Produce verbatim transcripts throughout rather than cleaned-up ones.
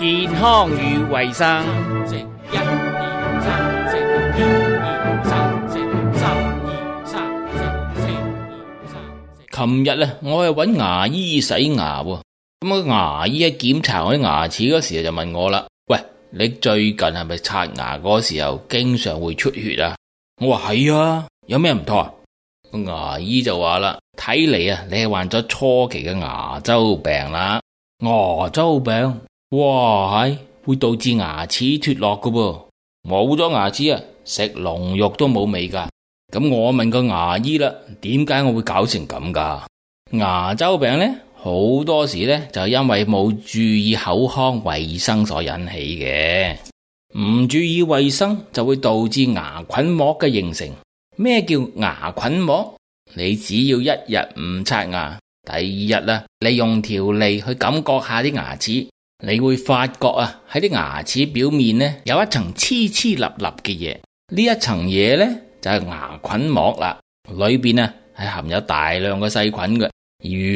健康與衛生。食一二三，食二二三，食三二三，食四二三。琴日啊，我去揾牙醫洗牙喎，咁個牙醫喺檢查我啲牙齒嗰時就問我啦：喂，你最近係咪刷牙嗰時候經常會出血啊？我話係啊，有咩唔妥啊？個牙醫就話啦：睇嚟啊，你係患咗初期嘅牙周病啦。牙周病？哇，係會導致牙齒脫落噶噃，冇咗牙齒啊，食龍肉都冇味噶。咁我問個牙醫啦，點解我會搞成咁噶？牙周病呢，好多時呢就係因為冇注意口腔衛生所引起嘅。唔注意衛生就會導致牙菌膜嘅形成。咩叫牙菌膜？你只要一日唔刷牙，第二日啊，你用條脷去感覺下啲牙齒，你會發覺啊，喺啲牙齒表面呢有一層黐黐立立嘅嘢，呢一層嘢呢就係牙菌膜啦，裏邊啊係含有大量嘅細菌嘅。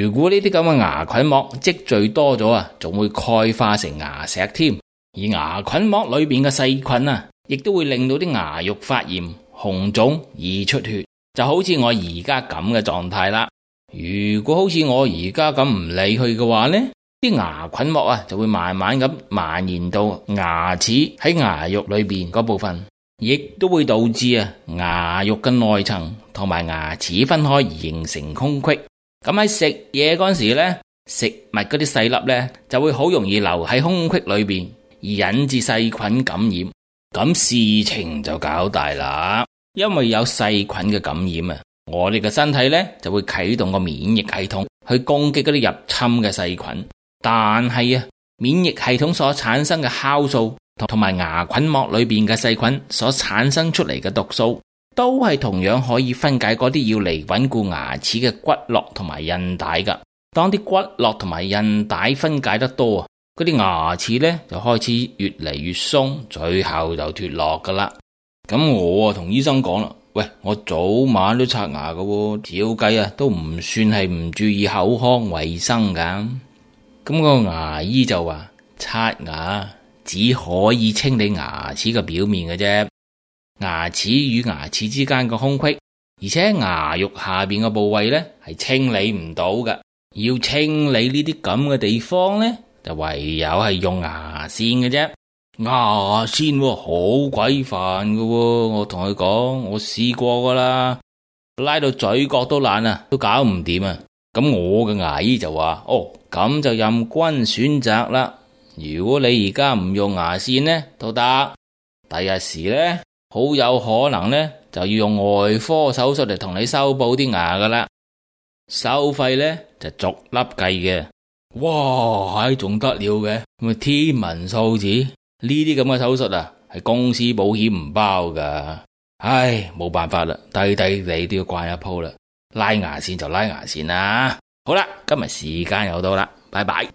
如果呢啲咁嘅牙菌膜積聚多咗啊，仲會鈣化成牙石添。而牙菌膜裏邊嘅細菌啊，亦都會令到啲牙肉發炎、紅腫、易出血，就好似我而家咁嘅狀態啦。如果好似我而家咁唔理佢嘅話呢，啲牙菌膜啊就會慢慢咁蔓延到牙齒喺牙肉裏邊嗰部分，亦都會導致啊牙肉嘅內層同埋牙齒分開而形成空隙。咁喺食嘢嗰時呢，食物嗰啲細粒呢就會好容易留喺空隙裏邊，而引致細菌感染。咁事情就搞大啦，因為有細菌嘅感染啊，我哋嘅身體呢就會啟動個免疫系統去攻擊嗰啲入侵嘅細菌。但係啊，免疫系統所產生嘅酵素同埋牙菌膜裏邊嘅細菌所產生出嚟嘅毒素，都係同樣可以分解嗰啲要嚟穩固牙齒嘅骨骼同埋韌帶噶。當啲骨骼同埋韌帶分解得多啊，嗰啲牙齒呢就開始越嚟越鬆，最後就脫落噶啦。咁我啊同醫生講啦，喂，我早晚都刷牙噶喎，照計啊都唔算係唔注意口腔衛生噶。咁個牙醫就話，刷牙只可以清理牙齒嘅表面嘅啫，牙齒與牙齒之間嘅空隙，而且牙肉下邊嘅部位呢係清理唔到嘅。要清理呢啲咁嘅地方呢，就唯有係用牙線嘅啫。牙線喎，好鬼煩㗎喎，我同佢講，我試過噶啦，拉到嘴角都爛啊，都搞唔掂啊。咁我嘅牙醫就話，哦，咁就任君選擇啦。如果你而家唔用牙線呢，都得。第日時呢，好有可能呢，就要用外科手術嚟同你修補啲牙噶啦。收費呢，就逐粒計嘅。哇，係仲得了嘅，咁天文數字，呢啲咁嘅手術啊，係公司保險唔包噶。唉，冇辦法啦，低低你都要慣一鋪啦。拉牙線就拉牙線啦。好啦，今日時間又到啦，拜拜。